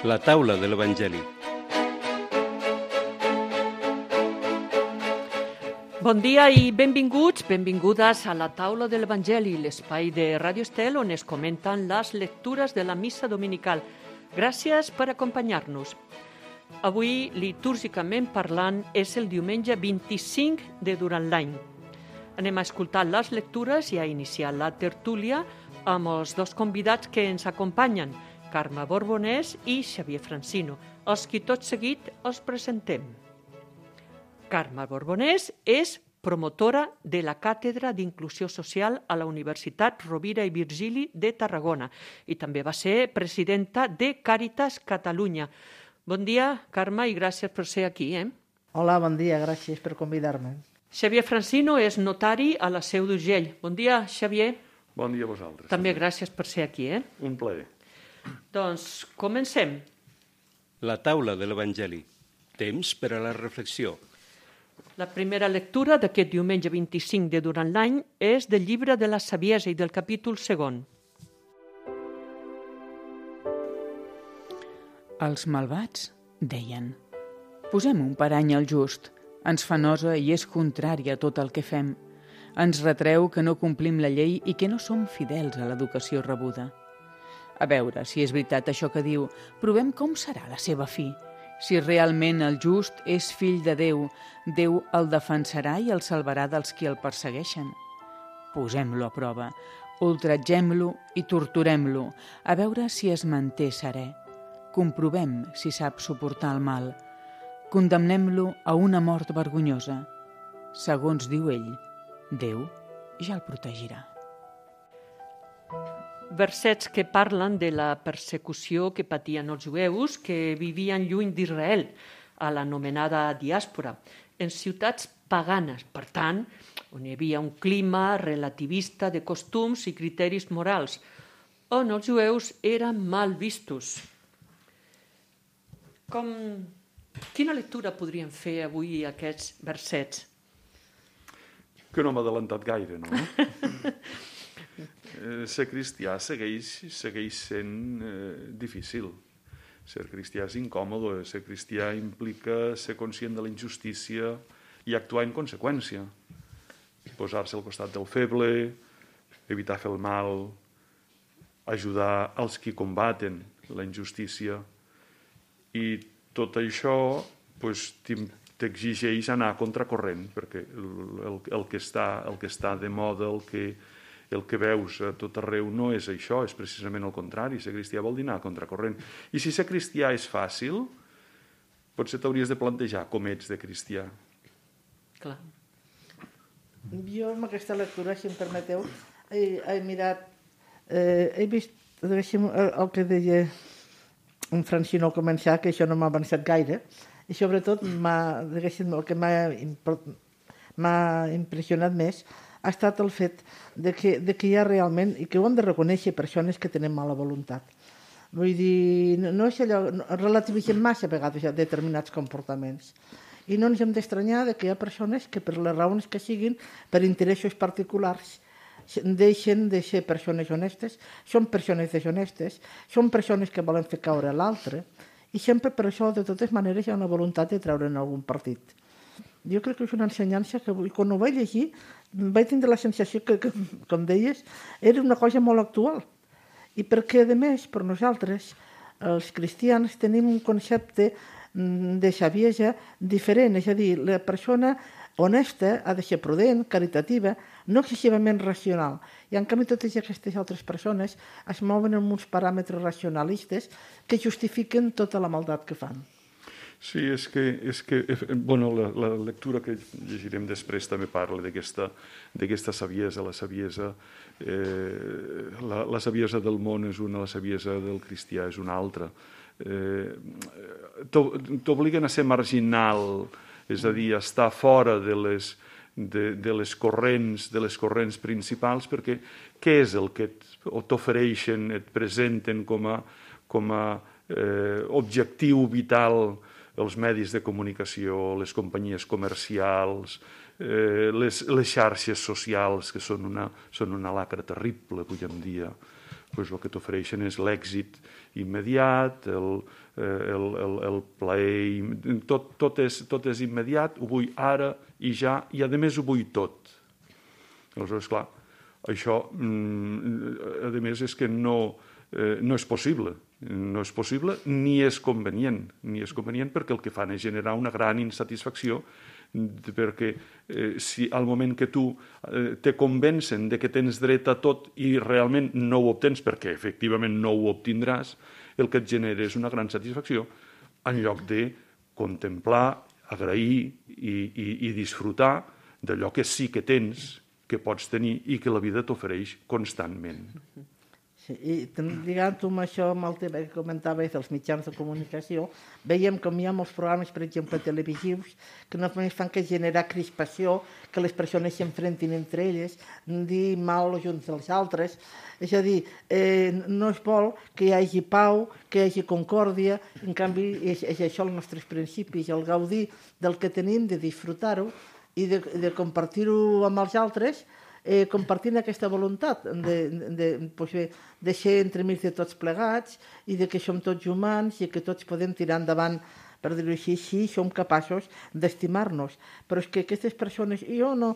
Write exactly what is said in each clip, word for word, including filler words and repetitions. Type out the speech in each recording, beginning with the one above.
La taula de l'Evangeli. Bon dia i benvinguts, benvingudes a la taula de l'Evangeli, l'espai de Ràdio Estel on es comenten les lectures de la missa dominical. Gràcies per acompanyar-nos. Avui, litúrgicament parlant, és el diumenge vint-i-cinc de durant l'any. Anem a escoltar les lectures i a iniciar la tertúlia amb els dos convidats que ens acompanyen, Carme Borbonès i Xavier Francino, els qui tot seguit els presentem. Carme Borbonès és promotora de la Càtedra d'Inclusió Social a la Universitat Rovira i Virgili de Tarragona i també va ser presidenta de Càritas Catalunya. Bon dia, Carme, i gràcies per ser aquí. Eh? Hola, bon dia, gràcies per convidar-me. Xavier Francino és notari a la Seu d'Urgell. Bon dia, Xavier. Bon dia a vosaltres. També gràcies per ser aquí. Eh? Un plaer. Doncs comencem. La taula de l'Evangeli. Temps per a la reflexió. La primera lectura d'aquest diumenge vint-i-cinc de durant l'any és del llibre de la Saviesa i del capítol segon. Els malvats deien: posem un parany al just, ens fa nosa i és contrari a tot el que fem. Ens retreu que no complim la llei i que no som fidels a l'educació rebuda. A veure si és veritat això que diu, provem com serà la seva fi. Si realment el just és fill de Déu, Déu el defensarà i el salvarà dels qui el persegueixen. Posem-lo a prova, ultratgem-lo i torturem-lo, a veure si es manté serè. Comprovem si sap suportar el mal. Condemnem-lo a una mort vergonyosa. Segons diu ell, Déu ja el protegirà. Versets que parlen de la persecució que patien els jueus que vivien lluny d'Israel, a l'anomenada diàspora, en ciutats paganes, per tant, on hi havia un clima relativista de costums i criteris morals, on els jueus eren mal vistos. Com... Quina lectura podríem fer avui aquests versets? Que no m'ha adelantat gaire, no? Eh, ser cristià segueix, segueix sent eh, difícil. Ser cristià és incòmode, ser cristià implica ser conscient de la injustícia i actuar en conseqüència. Posar-se al costat del feble, evitar fer el mal, ajudar els qui combaten la injustícia. I tot això pues, t'exigeix anar a contracorrent, perquè el, el, el, que està, el que està de moda, el que el que veus a tot arreu no és això, és precisament el contrari. Ser cristià vol dir anar a contracorrent. I si ser cristià és fàcil, potser t'hauries de plantejar com ets de cristià. Clar. Jo amb aquesta lectura, si em permeteu, he, he mirat, eh, he vist diguéssim, el que deia en Francino al començar, que això no m'ha avançat gaire, i sobretot m'ha, diguéssim, el que m'ha, m'ha impressionat més ha estat el fet de que, de que hi ha realment, i que ho hem de reconèixer, persones que tenen mala voluntat. Vull dir, no, no és allò, no, relativitzem massa a vegades ja determinats comportaments. I no ens hem d'estranyar de que hi ha persones que per les raons que siguin, per interessos particulars, deixen de ser persones honestes, són persones deshonestes, són persones que volen fer caure l'altre, i sempre per això, de totes maneres, hi ha una voluntat de treure'n algun partit. Jo crec que és una ensenyança que quan ho vaig llegir vaig tindre la sensació que, que, com deies, era una cosa molt actual. I perquè, a més, per nosaltres, els cristians, tenim un concepte de saviesa diferent, és a dir, la persona honesta ha de ser prudent, caritativa, no excessivament racional. I en canvi totes aquestes altres persones es mouen en uns paràmetres racionalistes que justifiquen tota la maldat que fan. Sí, és que, és que bueno, la, la lectura que llegirem després també parla d'aquesta d'aquesta saviesa, la saviesa, eh, la, la saviesa del món és una, la saviesa del cristià és una altra. Eh, t'obliguen a ser marginal, és a dir, a estar fora de les, de, de les corrents, de les corrents principals, perquè què és el que t'ofereixen, et presenten com a, com a eh, objectiu vital els medis de comunicació, les companyies comercials, eh, les, les xarxes socials, que són una, són una lacra terrible avui en dia. doncs el que t'ofereixen és l'èxit immediat, el, el, el, el plaer, tot, tot, és, tot és immediat, ho vull ara i ja, i a més ho vull tot. Aleshores, clar, això, a més, és que no, eh, no és possible. No és possible ni és convenient, ni és convenient perquè el que fan és generar una gran insatisfacció, perquè eh, si al moment que tu eh, te convencen de que tens dret a tot i realment no ho obtens perquè efectivament no ho obtindràs, el que et genera és una gran satisfacció en lloc de contemplar, agrair i, i, i disfrutar d'allò que sí que tens, que pots tenir i que la vida t'ofereix constantment. Sí, i lligant-ho amb això, amb el tema que comentaves dels mitjans de comunicació, veiem com hi ha molts programes, per exemple, televisius, que només fan que generar crispació, que les persones s'enfrentin entre elles, dir mal els uns dels altres. És a dir, eh, no es vol que hi hagi pau, que hi hagi concòrdia, en canvi és, és això els nostres principis, el gaudir del que tenim, de disfrutar-ho i de, de compartir-ho amb els altres, eh, compartint aquesta voluntat de, de, de, pues bé, de ser entremig de tots plegats i de que som tots humans i que tots podem tirar endavant, per dir-ho així, si som capaços d'estimar-nos. Però és que aquestes persones, jo no,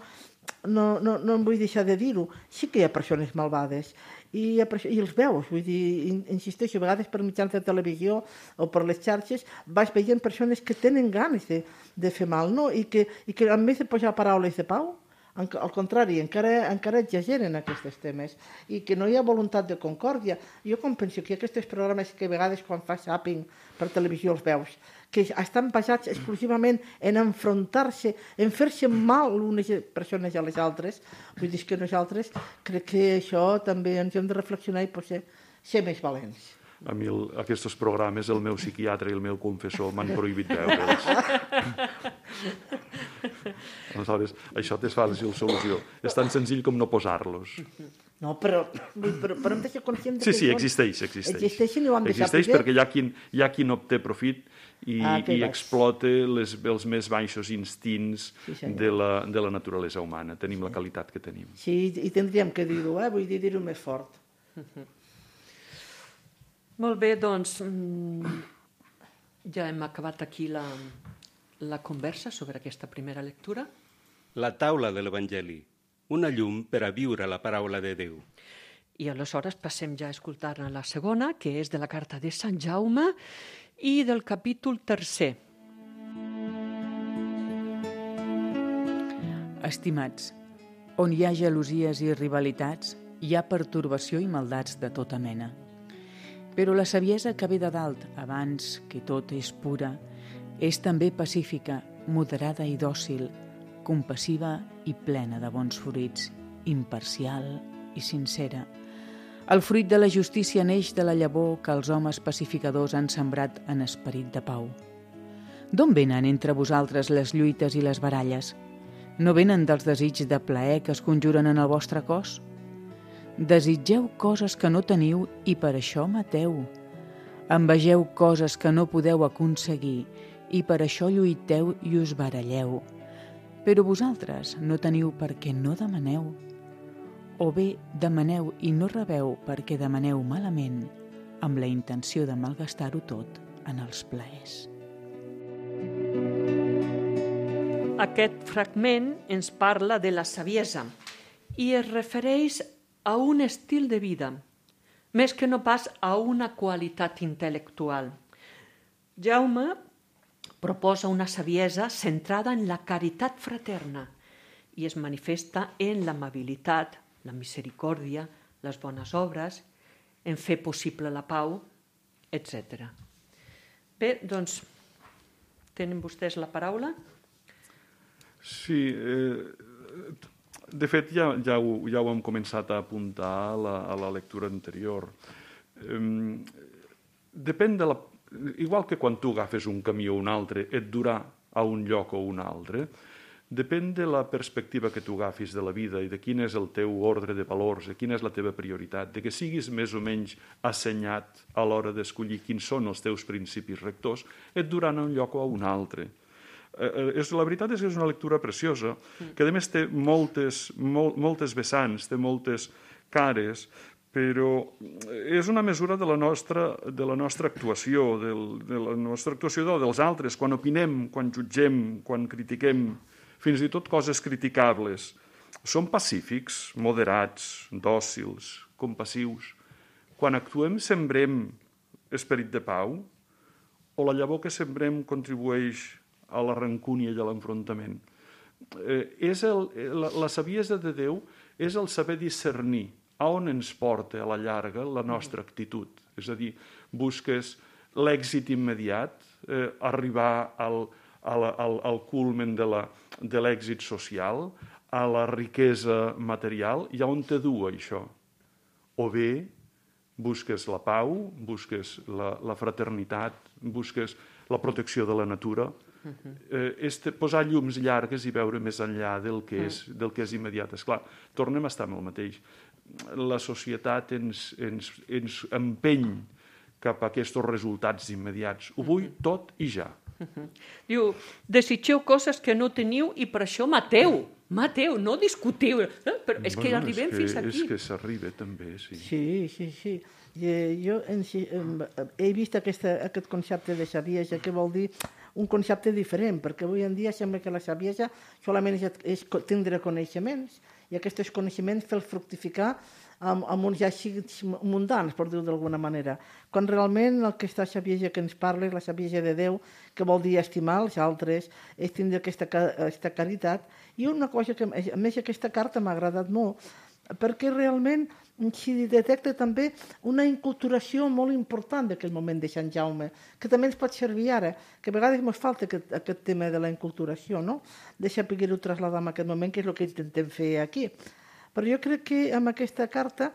no, no, no em vull deixar de dir-ho, sí que hi ha persones malvades i, hi ha, i els veus, vull dir, insisteixo, a vegades per mitjans de televisió o per les xarxes vas veient persones que tenen ganes de, de fer mal, no? I que, i que a més de posar paraules de pau, al contrari, encara, encara exageren aquests temes i que no hi ha voluntat de concòrdia. Jo com penso que aquests programes que a vegades quan fa zapping per televisió els veus, que estan basats exclusivament en enfrontar-se, en fer-se mal unes persones a les altres, vull dir que nosaltres crec que això també ens hem de reflexionar i potser ser més valents. A mi el, aquests programes, el meu psiquiatre i el meu confessor m'han prohibit veure'ls. Aleshores, això és fàcil solució. És tan senzill com no posar-los. No, però, però, però hem de ser conscients sí, que sí, existeix, existeix. Existeixen i ho hem de existeix saber. perquè hi ha qui, hi ha qui no obté profit i, ah, i explota les, els més baixos instints sí, de, la, de la naturalesa humana. Tenim sí. la qualitat que tenim. Sí, i tindríem que dir-ho, eh? Vull dir, dir-ho més fort. Molt bé, doncs ja hem acabat aquí la, la conversa sobre aquesta primera lectura. La taula de l'Evangeli, una llum per a viure la paraula de Déu. I aleshores passem ja a escoltar la segona, que és de la carta de Sant Jaume i del capítol tercer. Estimats, on hi ha gelosies i rivalitats, hi ha pertorbació i maldats de tota mena. Però la saviesa que ve de dalt, abans que tot és pura, és també pacífica, moderada i dòcil, compassiva i plena de bons fruits, imparcial i sincera. El fruit de la justícia neix de la llavor que els homes pacificadors han sembrat en esperit de pau. D'on venen entre vosaltres les lluites i les baralles? No venen dels desigs de plaer que es conjuren en el vostre cos? Desitgeu coses que no teniu i per això mateu. Envegeu coses que no podeu aconseguir i per això lluiteu i us baralleu. Però vosaltres no teniu perquè no demaneu. O bé demaneu i no rebeu perquè demaneu malament, amb la intenció de malgastar-ho tot en els plaers. Aquest fragment ens parla de la saviesa i es refereix a un estil de vida, més que no pas a una qualitat intel·lectual. Jaume proposa una saviesa centrada en la caritat fraterna i es manifesta en l'amabilitat, la misericòrdia, les bones obres, en fer possible la pau, etcètera. Bé, doncs, tenen vostès la paraula? Sí, eh, de fet ja, ja, ho, ja ho hem començat a apuntar a la, a la lectura anterior. Eh, depèn de la... Igual que quan tu agafes un camí o un altre, et durà a un lloc o un altre, depèn de la perspectiva que tu agafis de la vida i de quin és el teu ordre de valors, de quina és la teva prioritat, de que siguis més o menys assenyat a l'hora d'escollir quins són els teus principis rectors, et duran a un lloc o a un altre. Eh, és, la veritat és que és una lectura preciosa, que a més té moltes, mol, moltes vessants, té moltes cares, però és una mesura de la nostra, de la nostra actuació, del, de la nostra actuació de dels altres, quan opinem, quan jutgem, quan critiquem, fins i tot coses criticables. Som pacífics, moderats, dòcils, compassius. Quan actuem sembrem esperit de pau o la llavor que sembrem contribueix a la rancúnia i a l'enfrontament. Eh, és el, la, la saviesa de Déu és el saber discernir a on ens porta a la llarga la nostra actitud. És a dir, busques l'èxit immediat, eh, arribar al, al, al, al culmen de, la, de l'èxit social, a la riquesa material, i a on te du això? O bé busques la pau, busques la, la fraternitat, busques la protecció de la natura, eh, és posar llums llargues i veure més enllà del que és, del que és immediat. Esclar, tornem a estar amb el mateix. La societat ens, ens, ens empeny cap a aquests resultats immediats. Ho vull tot i ja. Diu, desitgeu coses que no teniu i per això mateu. Mateu, no discutiu. Eh? Però és bueno, que arribem és que, fins aquí. És que s'arriba també, sí. Sí, sí, sí. Jo en, he vist aquesta, aquest concepte de saviesa, que vol dir un concepte diferent, perquè avui en dia sembla que la saviesa solament és, és tindre coneixements, i aquests coneixements fer fructificar amb, amb uns èxits mundans, per dir-ho d'alguna manera. Quan realment aquesta saviesa que ens parla és la saviesa de Déu, que vol dir estimar els altres, és tindre aquesta, aquesta caritat. I una cosa que, a més, aquesta carta m'ha agradat molt, perquè realment s'hi detecta també una inculturació molt important d'aquell moment de Sant Jaume, que també ens pot servir ara, que a vegades ens falta aquest, aquest tema de la inculturació, no? De saber-ho trasladar en aquest moment, que és el que intentem fer aquí. Però jo crec que amb aquesta carta,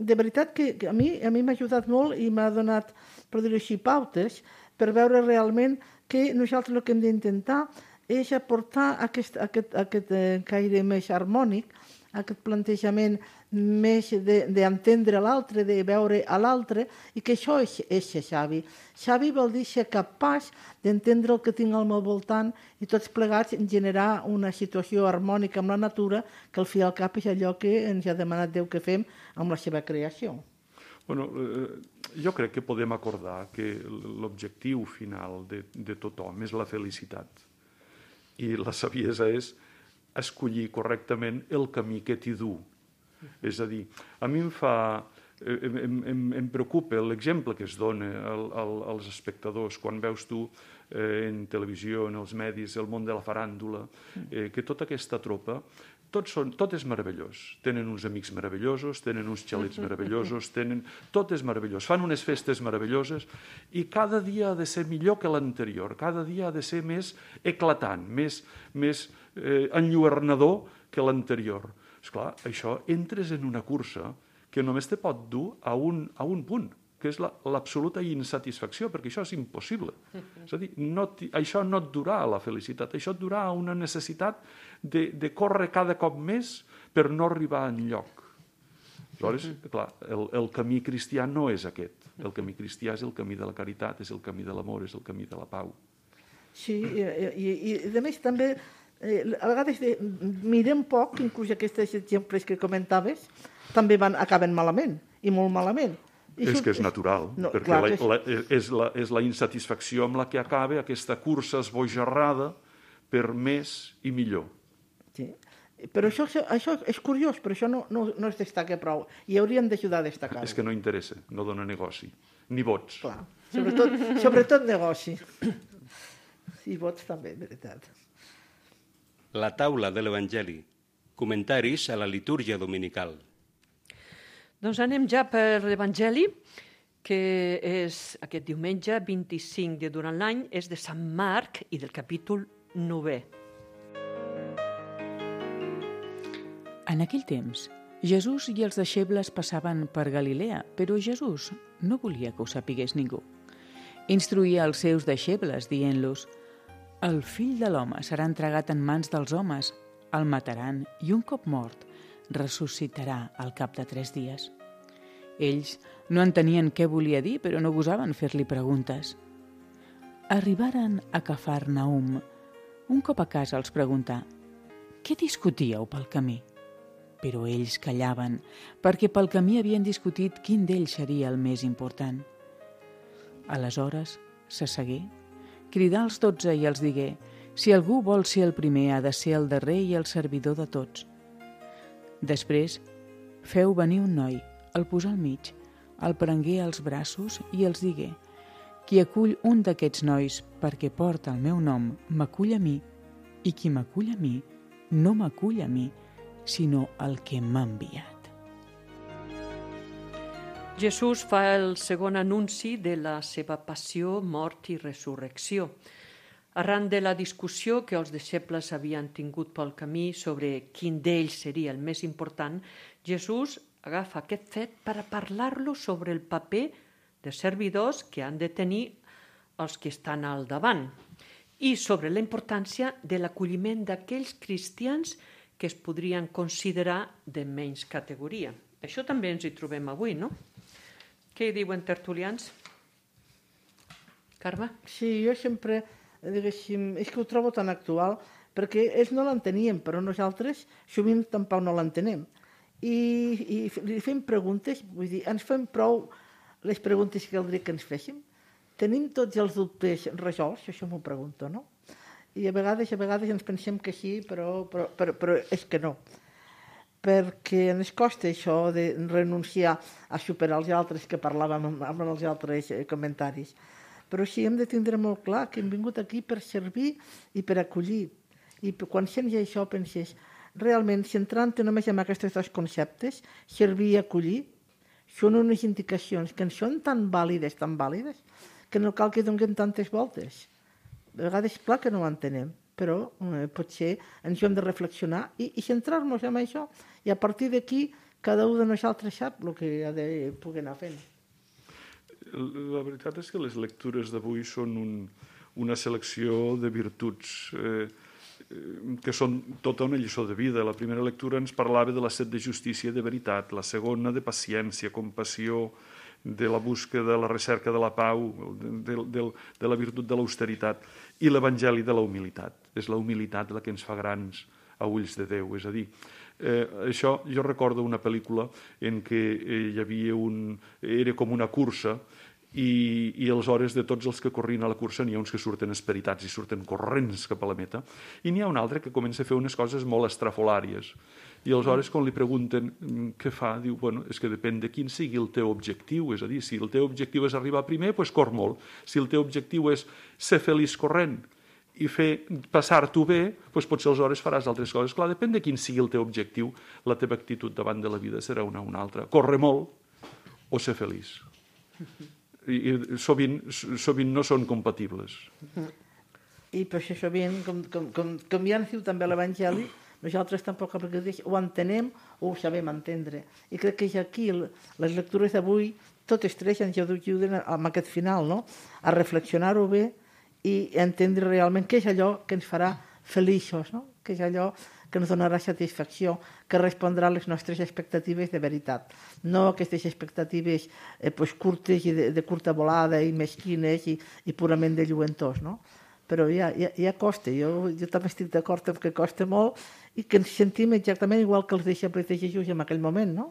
de veritat que a mi a mi m'ha ajudat molt i m'ha donat, per dir-ho així, pautes per veure realment que nosaltres el que hem d'intentar és aportar aquest, aquest, aquest caire més harmònic, aquest plantejament més d'entendre l'altre, de veure a l'altre, i que això és, és ser savi. Savi vol dir ser capaç d'entendre el que tinc al meu voltant i tots plegats generar una situació harmònica amb la natura, que al fi i al cap és allò que ens ha demanat Déu que fem amb la seva creació. Bueno, eh, jo crec que podem acordar que l'objectiu final de, de tothom és la felicitat. I la saviesa és escollir correctament el camí que t'hi du. És a dir, a mi em fa... Em, em, em preocupa l'exemple que es dona al, al, als espectadors quan veus tu eh, en televisió, en els medis, el món de la faràndula, eh, que tota aquesta tropa, tot, són, tot és meravellós. Tenen uns amics meravellosos, tenen uns xalets meravellosos, tenen... tot és meravellós. Fan unes festes meravelloses i cada dia ha de ser millor que l'anterior, cada dia ha de ser més eclatant, més, més eh, enlluernador que l'anterior. Esclar, això entres en una cursa que només te pot dur a un, a un punt, que és l'absoluta insatisfacció, perquè això és impossible. És a dir, no això no et durà a la felicitat, això et durà a una necessitat de, de córrer cada cop més per no arribar enlloc. Aleshores, clar, el, el camí cristià no és aquest. El camí cristià és el camí de la caritat, és el camí de l'amor, és el camí de la pau. Sí, i, i, i a més també, eh, a vegades de, mirem poc, inclús aquests exemples que comentaves, també van, acaben malament, i molt malament. I és això, que és natural, no, perquè la, és... La, és, la, és la insatisfacció amb la que acaba aquesta cursa esbojarrada per més i millor. Sí. Però això, això és curiós, però això no, no, no es destaca prou, i hauríem d'ajudar a destacar-ho. És que no interessa, no dona negoci, ni vots. Clar, sobretot, sobretot negoci. I vots també, de veritat. La taula de l'Evangeli. Comentaris a la litúrgia dominical. Doncs anem ja per l'Evangeli, que és aquest diumenge vint-i-cinc de durant l'any, és de Sant Marc i del capítol novè. En aquell temps, Jesús i els deixebles passaven per Galilea, però Jesús no volia que ho sapigués ningú. Instruïa els seus deixebles, dient-los: «El fill de l'home serà entregat en mans dels homes, el mataran i un cop mort ressuscitarà al cap de tres dies». Ells no entenien què volia dir, però no gosaven fer-li preguntes. Arribaren a Cafarnaum. Un cop a casa els preguntà: «Què discutíeu pel camí?» però ells callaven, perquè pel camí havien discutit quin d'ells seria el més important. Aleshores s'assegué, cridà als dotze i els digué: si algú vol ser el primer, ha de ser el darrer i el servidor de tots. Després feu venir un noi, el posà al mig, el prengué als braços i els digué: qui acull un d'aquests nois perquè porta el meu nom, m'acull a mi, i qui m'acull a mi, no m'acull a mi, sinó el que m'ha enviat. Jesús fa el segon anunci de la seva passió, mort i resurrecció. Arran de la discussió que els deixebles havien tingut pel camí sobre quin d'ells seria el més important, Jesús agafa aquest fet per a parlar-lo sobre el paper de servidors que han de tenir els que estan al davant i sobre la importància de l'acolliment d'aquells cristians que es podrien considerar de menys categoria. Això també ens hi trobem avui, no? Què hi diuen tertulians? Carme? Sí, jo sempre, diguéssim, és que ho trobo tan actual, perquè ells no l'entenien, però nosaltres sovint tampoc no l'entenem. I, i li fem preguntes, vull dir, ens fem prou les preguntes que caldria que ens féssim. Tenim tots els dubtes resolts, això m'ho pregunto, no? I a vegades, a vegades ens pensem que sí, però, però, però, però és que no. Perquè ens costa això de renunciar a superar els altres que parlàvem amb els altres comentaris. Però sí, hem de tindre molt clar que hem vingut aquí per servir i per acollir. I quan sents això penses, realment, centrant-te només en aquests dos conceptes, servir i acollir, són unes indicacions que ens són tan vàlides, tan vàlides, que no cal que donem tantes voltes. A vegades, clar que no ho entenem, però eh, potser ens hem de reflexionar i, i centrar-nos en això. I a partir d'aquí, cada un de nosaltres sap el que ha de poder anar fent. La veritat és que les lectures d'avui són un, una selecció de virtuts eh, que són tota una lliçó de vida. La primera lectura ens parlava de la set de justícia i de veritat, la segona de paciència, compassió, de la búsqueda, de la recerca de la pau, de, de, de la virtut de l'austeritat, i l'Evangeli de la humilitat. És la humilitat la que ens fa grans a ulls de Déu. És a dir, eh, això jo recordo una pel·lícula en què eh, hi havia un... era com una cursa, i, i aleshores de tots els que corrien a la cursa n'hi ha uns que surten esperitats i surten corrents cap a la meta, i n'hi ha un altre que comença a fer unes coses molt estrafolàries. I aleshores, quan li pregunten què fa, diu, bueno, és que depèn de quin sigui el teu objectiu. És a dir, si el teu objectiu és arribar primer, doncs cor molt. Si el teu objectiu és ser feliç corrent i fer passar-t'ho bé, doncs potser aleshores faràs altres coses. Clar, depèn de quin sigui el teu objectiu, la teva actitud davant de la vida serà una o una altra. Córrer molt o ser feliç. I, i sovint, sovint no són compatibles. I per això sovint, com, com, com, com ja ens diu també l'Evangeli, nosaltres tampoc ho entenem o ho sabem entendre. I crec que ja aquí les lectures d'avui, totes tres ens ajuden amb aquest final, no? A reflexionar-ho bé i entendre realment què és allò que ens farà feliços, no? Què és allò que ens donarà satisfacció, que respondrà a les nostres expectatives de veritat. No aquestes expectatives eh, pues, curtes i de, de curta volada i mesquines i, i purament de lluentors, no? Però ja, ja, ja costa, jo, jo també estic d'acord amb que costa molt i que ens sentim exactament igual que els deixebles de Jesús en aquell moment, no?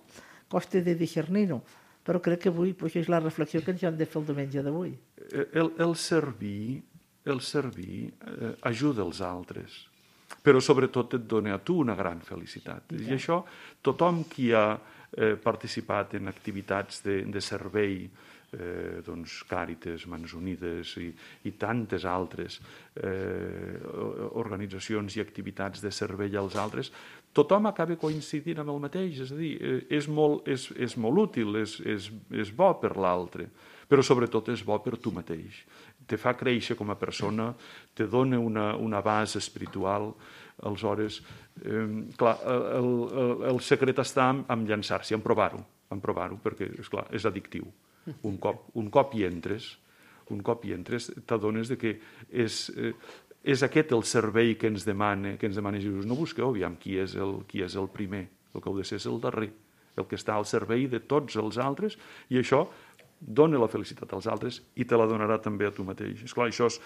Costa de discernir-ho, però crec que avui pues, és la reflexió que ens hem de fer el diumenge d'avui. El, el servir, el servir eh, ajuda els altres, però sobretot et dona a tu una gran felicitat. I, I això, tothom qui ha eh, participat en activitats de, de servei, Eh, doncs, Càritas, Mans Unides i, i tantes altres eh, organitzacions i activitats de servei als altres, tothom acaba coincidint amb el mateix, és a dir, eh, és, molt, és, és molt útil, és, és, és bo per l'altre, però sobretot és bo per tu mateix. Te fa créixer com a persona, te dona una, una base espiritual. Aleshores, eh, clar, el, el, el secret està en, en llançar-s'hi, en provar-ho, en provar-ho, perquè, esclar, és addictiu. Un cop, un cop hi entres, un cop hi entres, t'adones de que és, eh, és aquest el servei que ens demana, que ens demana Jesús. No busqueu, aviam, qui és, el, qui és el primer. El que heu de ser és el darrer, el que està al servei de tots els altres, i això dona la felicitat als altres i te la donarà també a tu mateix. Esclar, això és,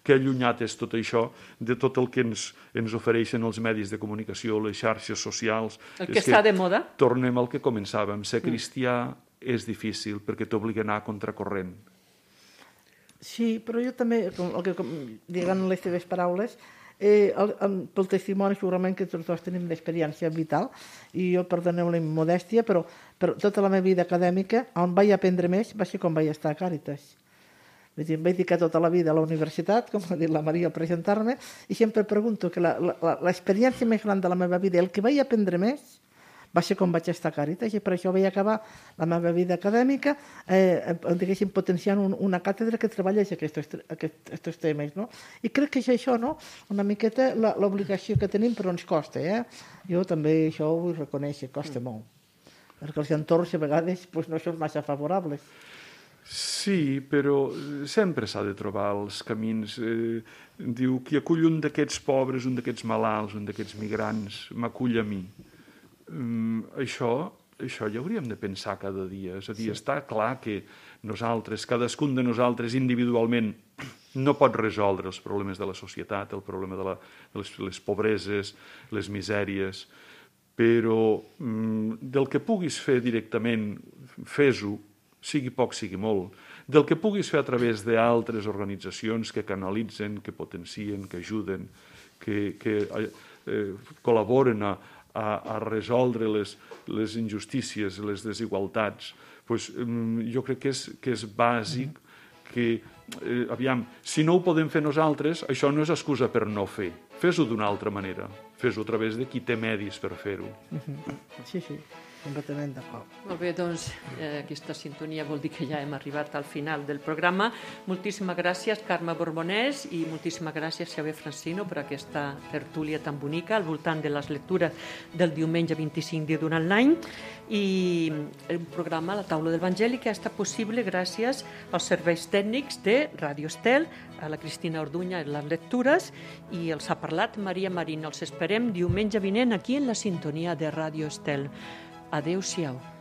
que allunyat és tot això de tot el que ens, ens ofereixen els medis de comunicació, les xarxes socials. El que està de moda. Tornem al que començàvem. Ser cristià mm. és difícil perquè t'obliga a anar a contracorrent. Sí, però jo també, com, el que, com, diguant les teves paraules, Eh, el, el, pel testimoni segurament que tots dos tenim d'experiència vital i jo, perdoneu la immodèstia, però, però tota la meva vida acadèmica on vaig aprendre més va ser quan vaig estar a Càritas. Vull dir, em vaig dedicar tota la vida a la universitat, com ha dit la Maria al presentar-me, i sempre pregunto que l'experiència més gran de la meva vida, el que vaig aprendre més va ser quan vaig estar a Càritas, i per això vaig acabar la meva vida acadèmica eh, diguéssim, potenciant un, una càtedra que treballa aquests, aquests temes. No? I crec que és això, no? Una miqueta l'obligació que tenim, però ens costa. Eh? Jo també això ho vull reconèixer, costa mm. molt. Perquè els entorns a vegades pues, no són massa favorables. Sí, però sempre s'ha de trobar els camins. Eh, diu, qui acull un d'aquests pobres, un d'aquests malalts, un d'aquests migrants, m'acull a mi. Um, això, això ja hauríem de pensar cada dia. És a dir, sí. Està clar que nosaltres, cadascun de nosaltres individualment no pot resoldre els problemes de la societat, el problema de, la, de les, les pobreses, les misèries, però um, del que puguis fer directament, fes-ho, sigui poc, sigui molt. Del que puguis fer a través d'altres organitzacions que canalitzen, que potencien, que ajuden, que, que eh, col·laboren a A, a resoldre les, les injustícies, les desigualtats, pues, jo crec que és, que és bàsic que, eh, aviam, si no ho podem fer nosaltres, això no és excusa per no fer. Fes-ho d'una altra manera. Fes-ho a través de qui té medis per fer-ho. Sí, sí, completament d'acord. Molt bé, doncs eh, aquesta sintonia vol dir que ja hem arribat al final del programa. Moltíssimes gràcies, Carme Borbonès, i moltíssimes gràcies, Xavier Francino, per aquesta tertúlia tan bonica al voltant de les lectures del diumenge vint-i-cinc de durant l'any. I el programa La Taula de l'Evangeli que ha estat possible gràcies als serveis tècnics de Ràdio Estel, a la Cristina Orduña en les lectures, i els ha parlat Maria Marín. Els esperem diumenge vinent aquí en la sintonia de Ràdio Estel. Adéu-siau.